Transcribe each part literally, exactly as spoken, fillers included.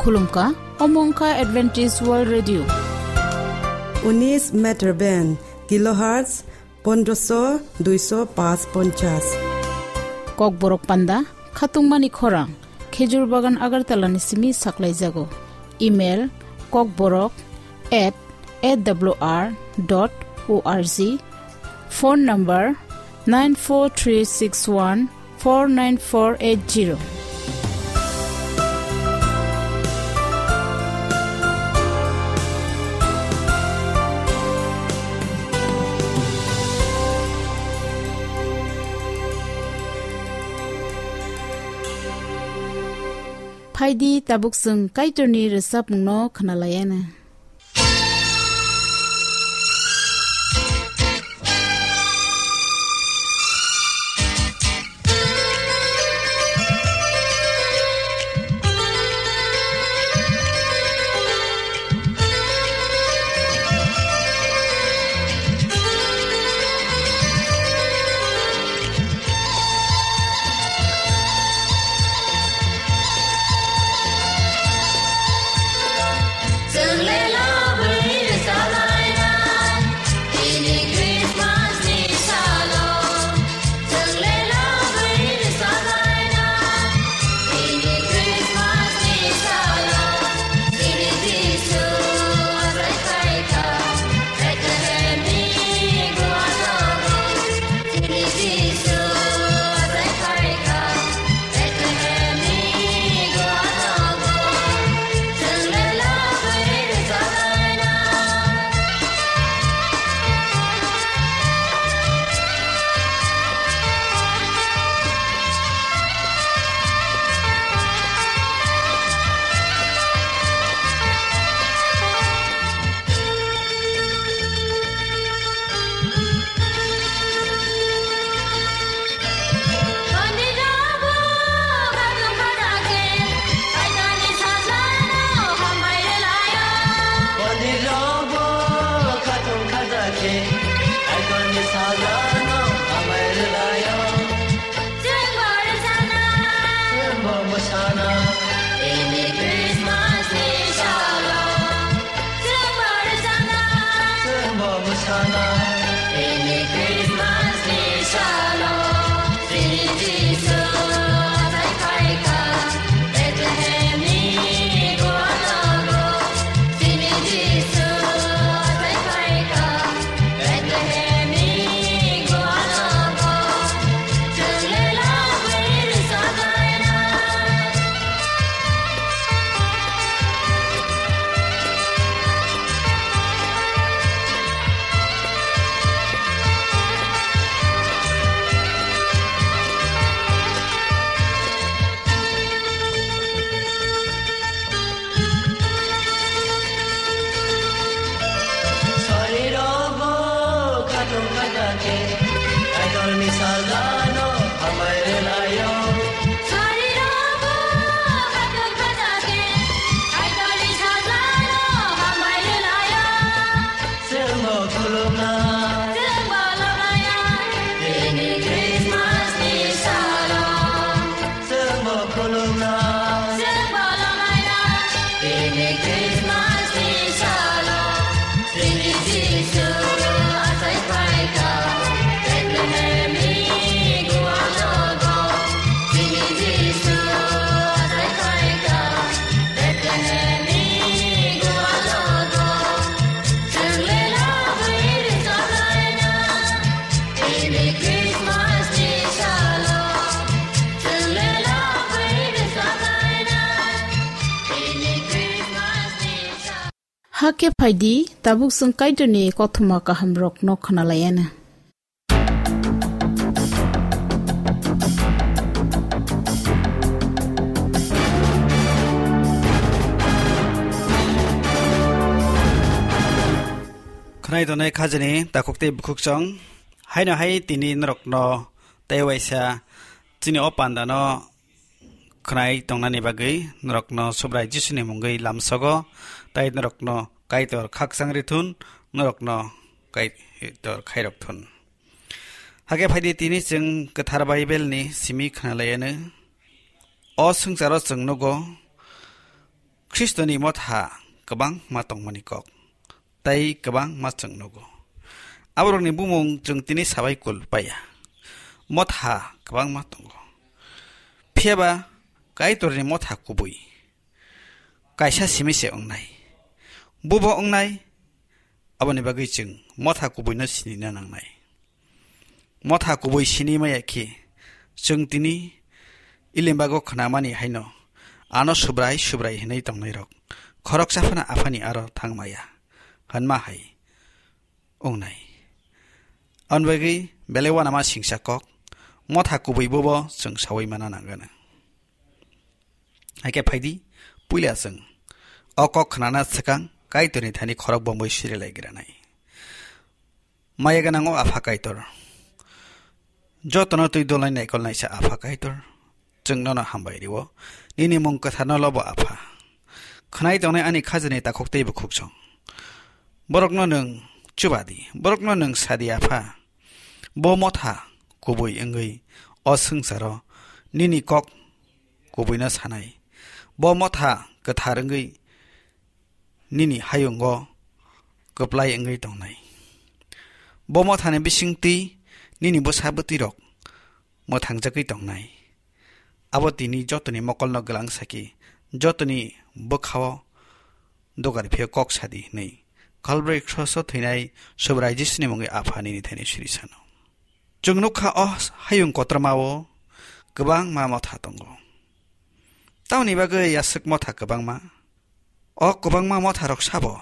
Khulumkha, omo wngkha Adventist World Radio. Unis meter band, kilohertz pondroso duiso pas ponchas. Kokborok panda, khatungmani khorang, Khejur Bagan Agartala ni simi saklaijago. Email, kokborok at A W R dot O R G. Phone number, nine four three six one four nine four eight zero. Phaidi tabuk chwng Kaitorni rwchapmungno khwnalaiana. Hakhe phaidi, tabuk chwng Kaitorni kothoma kahamrokno khwnalaiana. Khwnai tongnai khajani takhuk tei bukhuk chwng. Haino hai tini norokno tei waisa chini o pandano khwnai tongnani bagwi norokno Subrai Jisuni mungwi lamsogo, tei norokno Kaitor khakchang rithun, norokno Kaitor khairok thun. Hakhe phaidi tini chwng Kwthar Bible ni simi khwnalaiano. O swngcharo chwng nugo, Khristoni motha kwbangma tongmani kok, tei kwbangma chwng nugo. Aborokni bumung chwng tini sabai kul paya. Motha kwbangma tongo. Phiya ba Kaitorni motha kubui kaisa simi se wngnai. Bubo wngnai, aboni bagwi chwng motha kubuino sinina nangnai. Motha kubui sini maya khe, chwng tini Ilimbago khnamani haino ano Subrai Subrai hinwi tongnairok khoroksa phano aphani aro thangmaya hwnma hai wngnai. Aboni bagwi belai uanama singsa kok, motha kubui bubo chwng saui mana nangano. Hakhe phaidi, puila chwng o kok khnana swkang Kaitorni thani khorok bomwi sirilai granai. Maya gwnang o Apha Kaitor, jotono twi dolnai naikol naisa Apha Kaitor, chwng nono hambai rio, nini mung kwtharno lobo Apha. Khwnai tongnai ani khajani takhuk tei bukhuk song. Borokno nwng chuba di, borokno nwng sa di Apha. Bo motha kubui wngwi o swngcharo nini kok kubuino sanai. Bo motha kwthar wngwi nini hayungo kwplai wngwi tongnai. Bo mothani bisingtwi nini bwsa bwtwirok mwthangjagwi tongnai. Abo tini jotoni mokolno gwlang saki, jotoni bwkhao dogar phio kok sadi hwnwi Kalbari kroso thwinai Subrai Jisuni mungwi Apha nini thani siri sano. Chwng nukha o hayung kotormao kwbangma motha tongo. Tamoni bagwi yaswk motha kwbangma? O kwbangma motharok sabo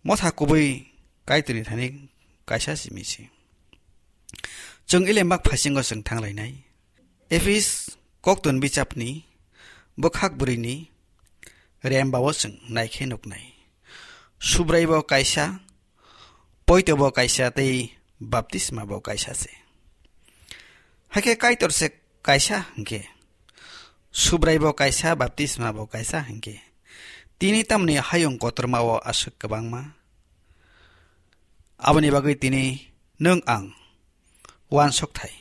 motha kubui Kaitorni thani kaisa simi se. Chwng Ilembak phaisingo chwng thanglainai. Ephis koktun bichapni bwkhak bwrwini rembao chwng naikhe nuknai. Subraibo kaisa, poitobo kaisa tei baptismabo kaisa se. Hakhe Kaitor se kaisa hinkhe, Subraibo kaisa, baptismabo kaisa hinkhe, tini tamni hayung kotormao aswk kwbangma? Aboni bagwi tini nwng ang uansuk thai.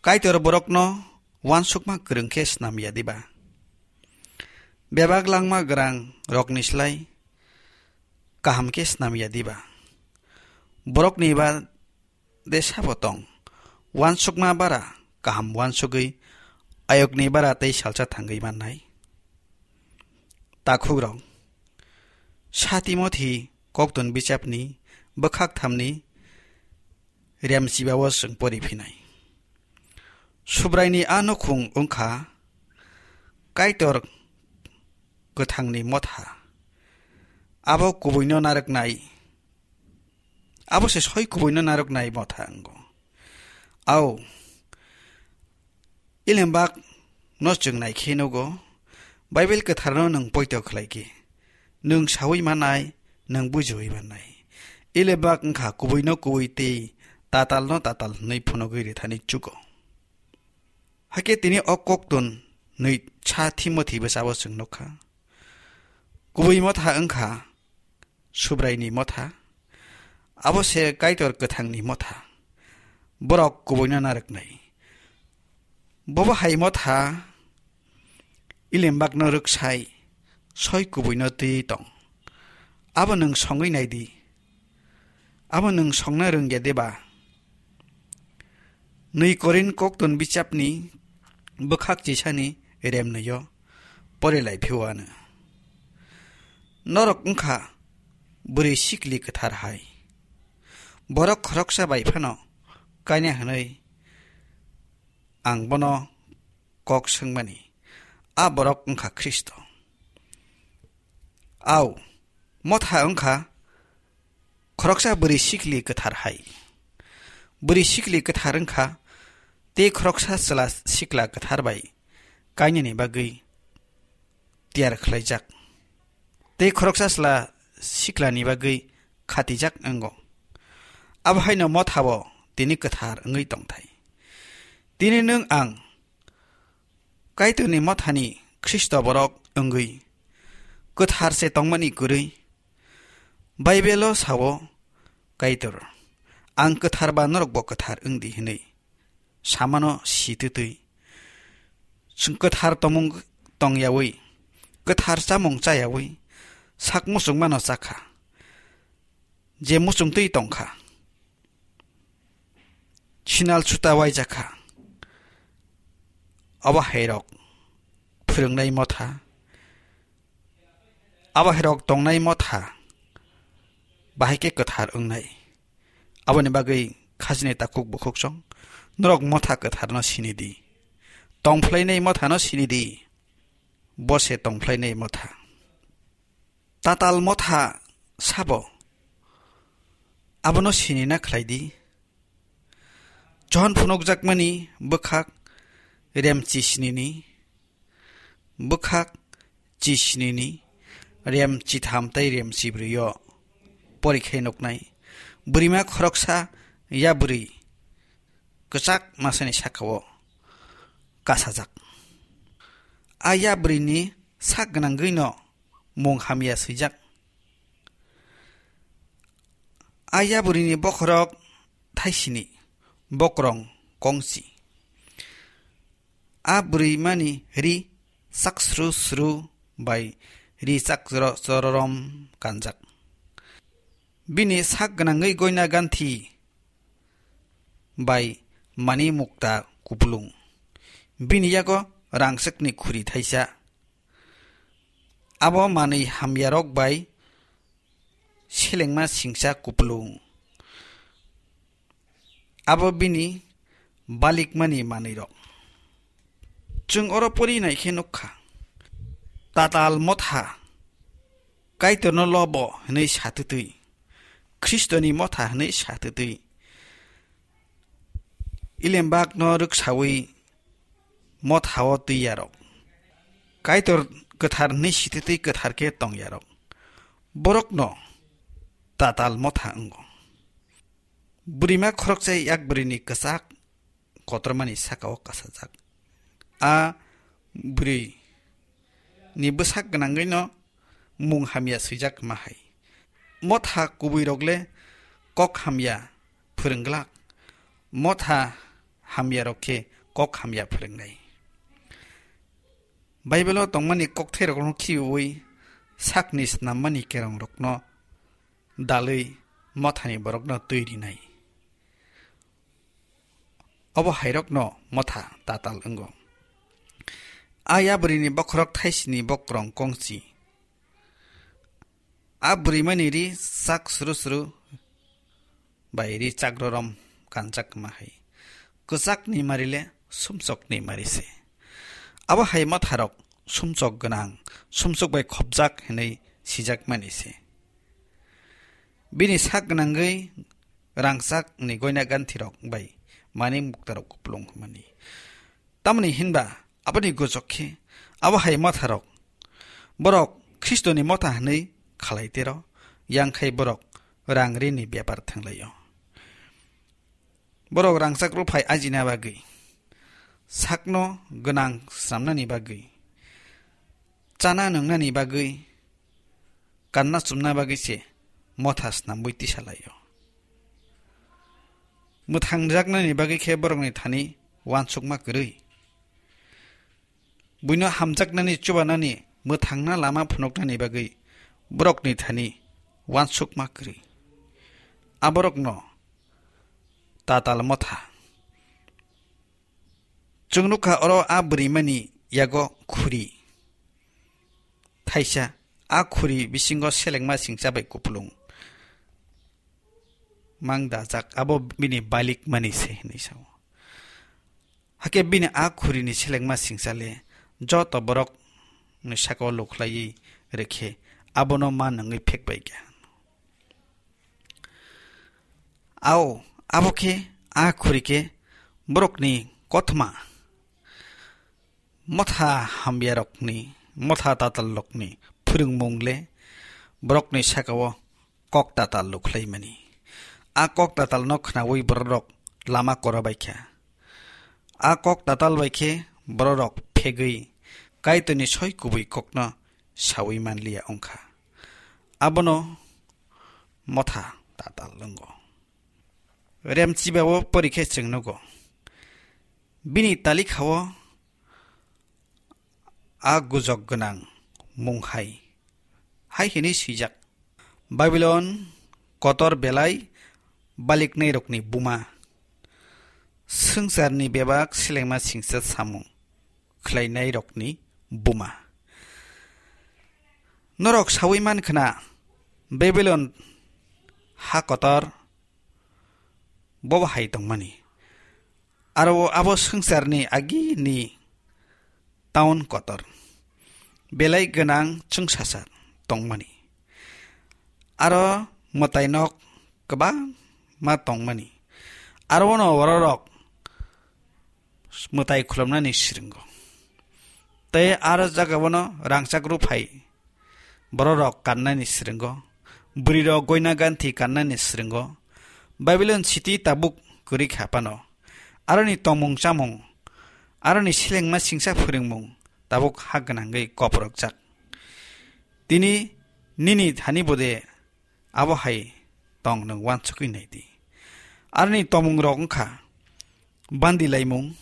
Kaitor borokno uansukma kwrwng khe snam ya diba? Bebak langma gwnang rokni slai kaham khe snam ya diba? Borokni ba de sabo tong, uansukma bara kaham uansugwi ayokni bara tei salsa thangwi mannai. Takhukrok, sa Timothi koktun bichapni bwkhak thamni remchibao chwng pori phinai. Subraini a nukhung wngkha Kaitor kwthangni motha. Abo kubuino narwknai. Abo se soi kubuino narwknai motha wngo. Au, Ilembak no chwng naikhe nugo, Bible kwtharno nwng poito khlaikhe, nwng saui manai, nwng bujiui manai. Ilembak wngkha kubuino kubui tei tatalno tatal hwnwi phunugwi rithani chugo. Hakhe tini o koktun nwi sa Timothi bwsabo chwng nukha. Kubui motha wngkha Subraini motha, abo se Kaitor kwthangni motha. Borok kubuino narwknai. Bobo hai motha Ilembakno rwksai, soi kubuino twi tong. Abo nwng songwi nai di. Abo nwng songna rwngya deba? Nwi Korin koktun bichapni bwkhak chisani remnwio pore lai phio ano. Norok wngkha bwrwi sikli kwthar hai. Borok khoroksa bai phano kaina hwnwi ang bono kok swngmani, a borok wngkha Khristo. Au, motha wngkha khoroksa bwrwi sikli kwthar hai. Bwrwi sikli kwthar wngkha tei khoroksa chwla sikla kwthar bai kainani bagwi tiyar khlaijak. Tei khoroksa chwla siklani bagwi khatijak wngo. Abo haino mothabo tini kwthar wngwi tongthai. Tini nwng ang Kaitorni mothani Khristo borok wngwi kwthar se tongmani kwrwi Baibelo sao, "Kaitor, ang kwthar ba norokbo kwthar wng di," hwnwi samano sitwtwi chwng kwthar tongmung tongyawi, kwthar chamung chayawi, sak muchungmano chakha, je muchungtwi tongkha, sinal suta waijakha, abo hairok phwrwngnai motha, abo hairok tongnai motha bahai khe kwthar wngnai. Aboni bagwi khajini takhuk bukhuk song, norok motha kwtharno sini di, tongphlainai mothano sini di, bo se tongphlainai motha. Tatal motha sabo? Abono sinina khlai di. Johon phunukjakmani bwkhak rem chisnini, bwkhak chisnini rem chitham tei rem chibrwi-o porikhai nuknai bwrwima khoroksa yabrwi kwchak masani saka-o kasajak. A yabrwini sak gwnangwi'-no mung hamya swijak. A yabrwini bokhorok thaisini, bokrong kongchi. A bwrwimani ri chak sru sru bai ri chak choro-, chororom kanjak. Bini sak gwnangwi goina ganthi bai mani mukta kupulung. Bini yago rangchakni khuri thaisa. Abo manwi hamyarok bai selengma singcha kupulung. Abo bini balikmani manwirok. Chwng oro pori naikhe nukkha, tatal motha Kaitorno lobo hwnwi satwtwi, Khristoni motha hwnwi satwtwi, Ilembakno rwksawi mothao twiyarok, Kaitor kwthar hwnwi sititwi kwthar khe tongyarok, borokno tatal motha wngo. Bwrwima khoroksa yakbrwini kwchak kotormani saka-o kasajak. A bwrwi ni bwsak gwnangwi'-no mung hamya swijak ma hai. Motha kubuirok le kok hamya phwrwng glak, motha hamyarok khe kok hamya phwrwngnai. Baibelo tongmani kokthairokno khibiui sakni snammani kerongrokno dalwi mothani borokno twi rinai. Obo hairokno motha tatal wngo. A yabrwini bokhorok thaisini bokrong kongchi. A bwrwimani ri chak sru sru bai ri chak rorom kanjak ma hai. Kwchakni mari le sumsokni mari se. Abo hai motharok sumsok gwnang, sumsok bai khopjak hinwi sijakmani se. Bini sak gwnangwi rangchakni goina ganthirok bai mani muktarok kupulung hwnmani. Tamoni hinba aboni gojok khe abo hai motharok borok Khristoni motha hwnwi khalai tero, yang khai borok rang rini bepar thanglaio. Borok rangchak rwphai ajina bagwi, sakno gwnang swnamnani bagwi, chana nwngnani bagwi, kanna chumna bagwi se motha snamwi tisalaio. Mwthangjaknani bagwi khe borokni thani uansukma kwrwi. Buino hamjaknani chubanani mwthangna lama phunuknani bagwi borokni thani uansukma kwrwi. A borokno tatal motha. Chwng nukha oro a bwrwimani yago khuri thaisa, a khuri bisingo selengma singcha bai kupulung mang dajak, abo bini balik mani se hinwi sao. Hakhe bini a khurini selengma singcha le joto borokni saka-o lukhlaiwi rwkhe abono ma nungwi phek bai kha. Ao, abo khe a khuri khe borokni kothoma motha hamyarokni, motha tatallokni phwrwngmung le borokni saka-o kok tatal lukhlaimani. A kok tatalno khnaui bororok lama kora bai kha. A kok tatal bai khe bororok phegwi Kaitorni soi kubui kokno saui manliya wngkha. Abono motha tatal wngo. Remchiba-o pori khe chwng nugo. Bini talikha-o a gujok gwnang mung hai, hai hwnwi swijak: Babilon kotor belai baliknairokni buma, swngcharni bebak selengma singcha samung khlainairokni buma. Norok saui man khna, Babilon ha kotor bo hai tongmani. Aro abo swngcharni agini town kotor, belai gwnang chwngsasa tongmani. Aro mwtai nok kwbangma tongmani. Aro ono bororok mwtai khulumnani sringo. Tei aro jagao no rangchak rwphai bororok kannani sringo. Bwrwirok goina ganthi kannani sringo. Babilon city tabuk kwrwi kha phano, aroni tongmung chamung, aroni selengma singcha phwrwngmung tabuk ha gwnangwi koprokjak. Tini nini thani bode abo hai tong nwng uansukwi nai di. Aroni tongmungrok wngkha bandi laimung,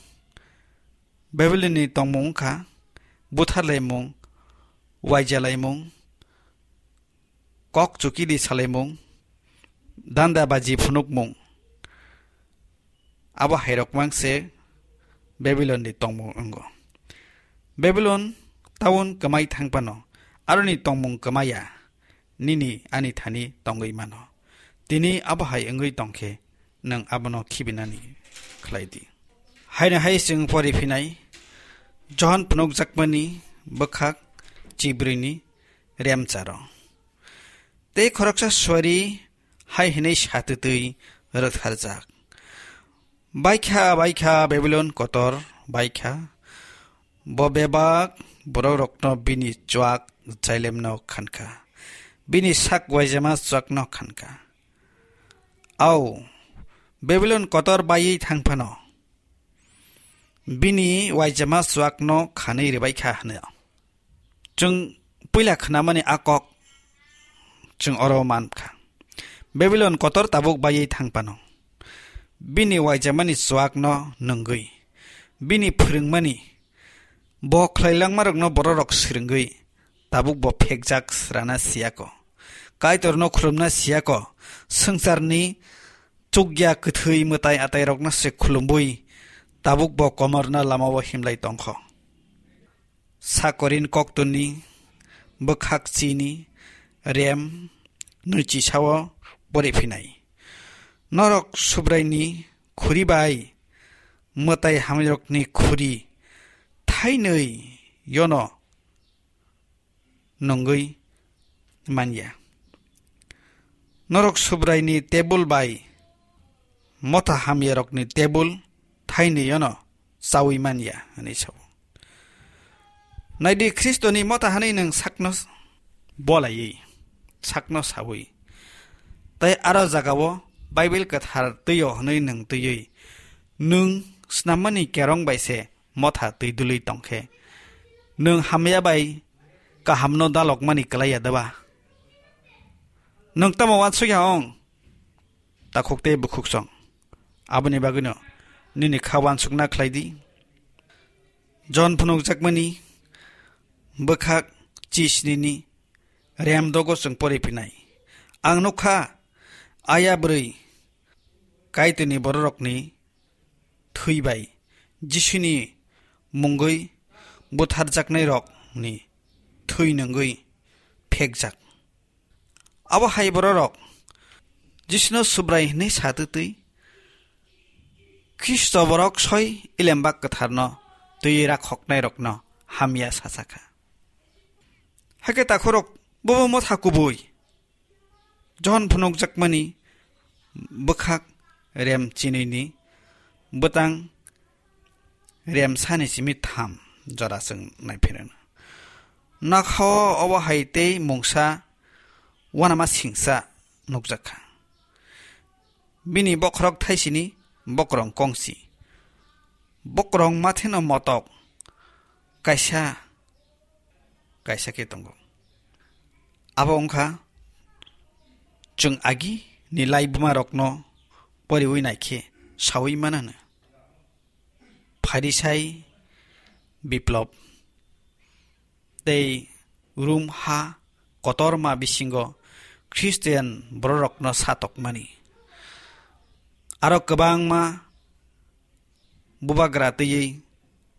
Babilonni tongmung wngkha buthar laimung, waija laimung, kok chukidi salaimung, danda baji phunukmung. Abo hairok mang se Babilonni tongmung wngo. Babilon town kwmai thang phano, aroni tongmung kwmaya, nini ani thani tongwi mano. Tini abo hai wngwi tong khe, nwng abono khibinani khlai di. Haino hai chwng pori phinai, Johon phunukjakmani bwkhak chibrwini remcharo. Tei khoroksa suari hai hwnwi satwtwi rwktharjak: Baikha, baikha, Babilon kotor baikha! Bo bebak bororokno bini chuak Jailemno khankha, bini sak uaijama chuakno khankha. Au, Babilon kotor baiwi thang phano, bini uaijama chuakno khanwi rwbaikha hwno. Chwng puila khnamani a kok chwng oro mankha. Babilon kotor tabuk baiwi thang phano, bini uaijamani chuakno nungwi, bini phwrwngmani, bo khlailangmarokno bororok swrwngwi, tabuk bo phekjak srana siyako, Kaitorno khulumna siyako, swngcharni chukya kwthwi mwtai atairokno se khulumbui, tabuk bo komorna lamao himlai tongkho. Sakorin koktwni bwkhak chini rem nwichi sao pori phinai. Norok Subraini khuri bai mwtai hamrirokni khuri thainwi yono nungwi manya. Norok Subraini tebul bai motha hamyarokni tebul thainwi yono chaui manya, hwnwi sao. Naidi, Khristoni motha hwnwi nwng sakno bolaiwi, sakno saui, tei aro jagao Bible kwthar twi-o hwnwi nwng twiwi, nwng snammani kerong bai se motha twi dului tong khe, nwng hamya bai kahamno dalokmani klai ya da ba? Nwng tamo uansuk ya ong? Takhuk tei bukhuk song. Aboni bagwino nini kha uansukna khlai di. Johon phunukjakmani bwkhak chisnini rem dogo chwng pori phinai. Ang nukha, aya bwrwi Kaitorni bororokni thwi bai Jisuni mungwi butharjaknairokni thwi nungwi phekjak. Abo hai bororok Jisuno Subrai hwnwi satwtwi Khristo borok soi Elembak Kwtharno twiwi rakhoknairokno hamya sachakha. Hakhe takhorok bobo motha kubui. Johon phunukjakmani bwkhak rem chinwini bwtang rem sani simi tham jora chwng naiphirono. Nokhao obo hai tei mungsa uanama singsa nukjakha. Bini bokhorok thaisini bokrong kongsi. Bokrong matheno motok kaisa kaisa khe tongo. Abo wngkha chwng agi ni laibumarokno poriwi naikhe saui manano. Pharisai, Biplop, tei Rom ha kotorma bisingo Khristian bororokno satokmani. Aro kwbangma bubagra twiwi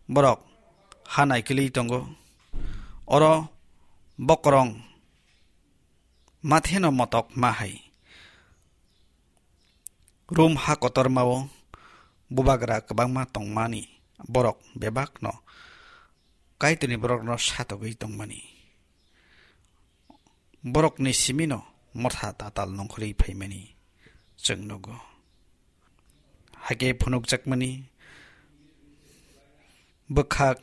borok ha naikolwi tongo. Oro bokorong matheno motok ma hai. Rom ha kotormao bubagra kwbangma tongmani borok bebakno Kaitorni borokno satogwi tongmani, borokni simino motha tatal nongkhorwi phaimani chwng nugo. Hakhe phunukjakmani bwkhak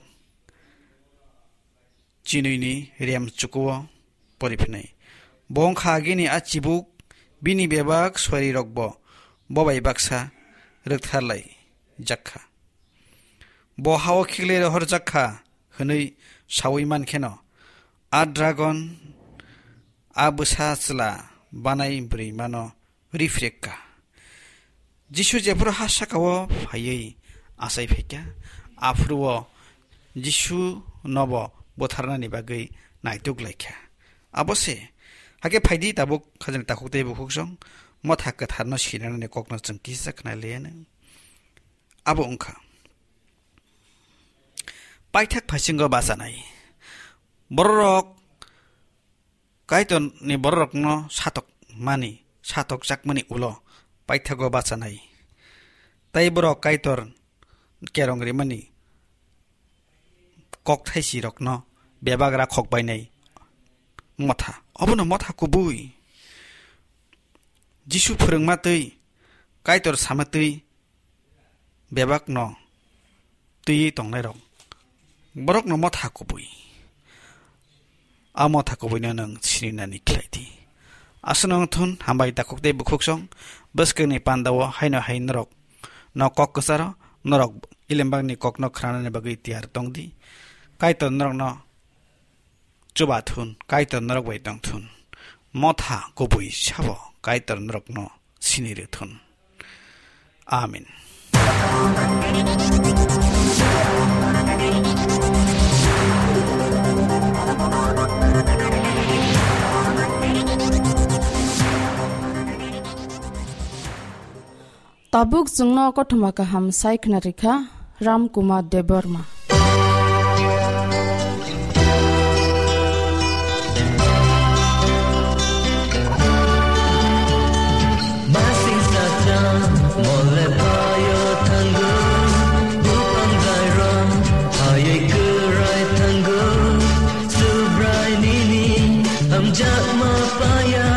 chinwini rem chukuo pori phinai. Bo wngkha agini a chibuk bini bebak suarirokbo bo bai baksa rwktharlai jak kha. Bo ha-o khiklwi rohorjak kha hwnwi saui man kheno, a dragon a bwsa chwla banai bwrwimano rifrek kha. Jisu jephuru ha saka-o phaiwi achai phaikha, aphuru-o Jisu nobo butharnani bagwi naituk laikha. Abo se, hakhe phaidi tabuk khajani takhuk tei bukhuksong motha kwtharno sinanani kokno chwng kisa khna liya nang. Abo wngkha paithak phaisingo bachanai. Bororok Kaitorni bororokno satok mani, satok chakmani ulo paithago bachanai. Tai borok Kaitor kerong rimani kokthaisirokno bebagra khokbainai motha. Obono motha kubui. Jisu phwrwngma twi, Kaitor sama twi bebakno twiwi tongnairok, borokno motha kubui. A motha kubuino nwng sininani khlai di. Aswkno wng thun, hambai takhuk tei bukhuksong bwskangni pandao haino hai norok no kok kwcharo, norok ilembakni kokno khnanani bagwi tiyar tong di. Kaitor norokno chuba thun, Kaitor norok bai tong thun. Motha kubui sabo Kaitor norokno sini rw thun. Amen. Tabuk chwngno kothoma kaham sai khna rikha Ram Kumar Debbarma. Masing sacha mole payo thango, bupang dairong hayai kwrai thango, Subrai nini hamjakma paya,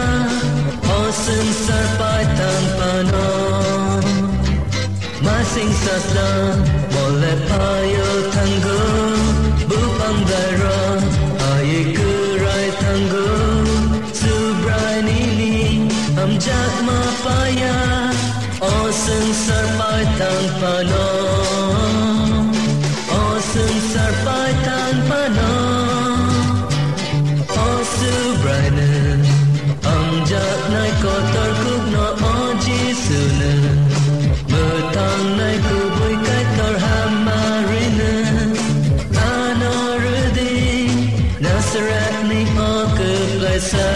o swngchar paithang phano. Masing sasla mole payo thango, bupang dairok ai kwrai thango, Subrai nini hamjakma paya, o swngchar paithang phano, o swngchar paithang phano. O Subraino, hamjaknai kotor kukno, o Jisuno, mwthangnai kubui Kaitor Hamarino, ano rwdi Nazarethni o kwplaisa.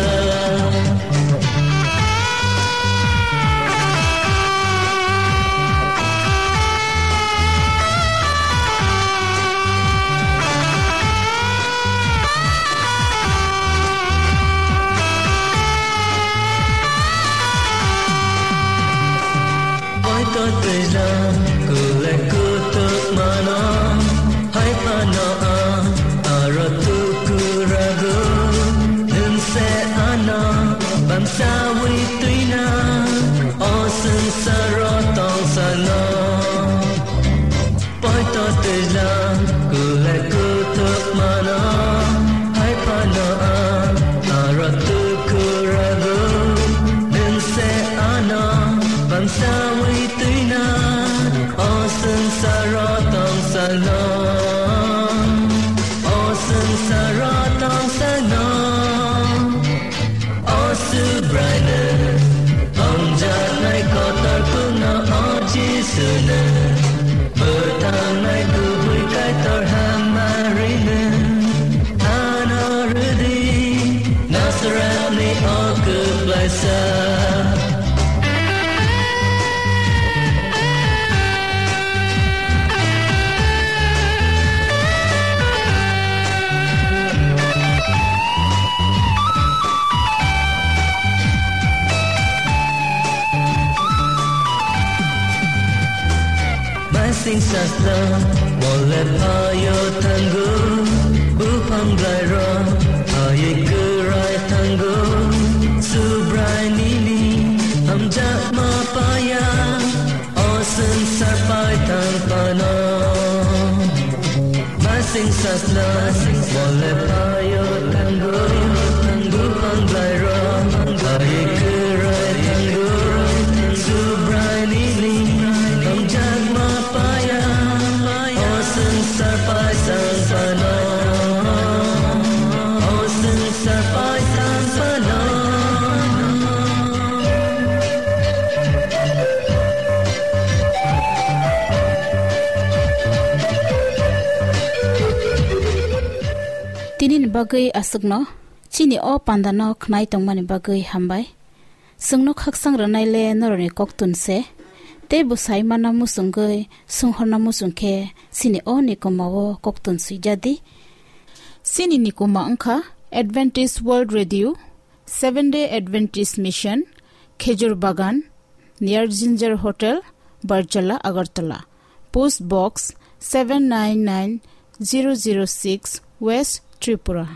Poito twijla kule kutuk mano, hai phano ang aro tukurago, nwng se ano bangsawi twina, o swngcharo tongsalno. Poito twijla kule kutuk mano, hai phano ang aro tukurago, nwng se ano bangsawi twina, o swngcharo tongsalno, o swngcharo tongsalno. O Subraino, hamjaknai kotor kukno, o Jisuno, mwthangnai kubui Kaitor Hamarino, ano Sasna mole payo tango, bupang blairo, aye kurai tango, subrai nini, amjak ma paya, osen sarpai tang pano. Masing sasna mole payo tango, bupang blairo, aye kurai tango, subrai nini, amjak ma paya, osen sarpai tang pano, osen sarpai tang pano. Tinini bagwi aswkno, chini o pandano khnai tongmani bagwi hambai. Chwngno khaksang rwnai le norokni koktun se, tei bwsai mana muchungwi swnghorna muchung khe chini o nikoma o koktun swijadi. Chini nikoma wngkha Adventist World Radio, Seventh Day Adventist Mission, Khejur Bagan, near Ginger Hotel, Barjala, Agartala. Post Box seven nine nine zero zero six, West Tripura.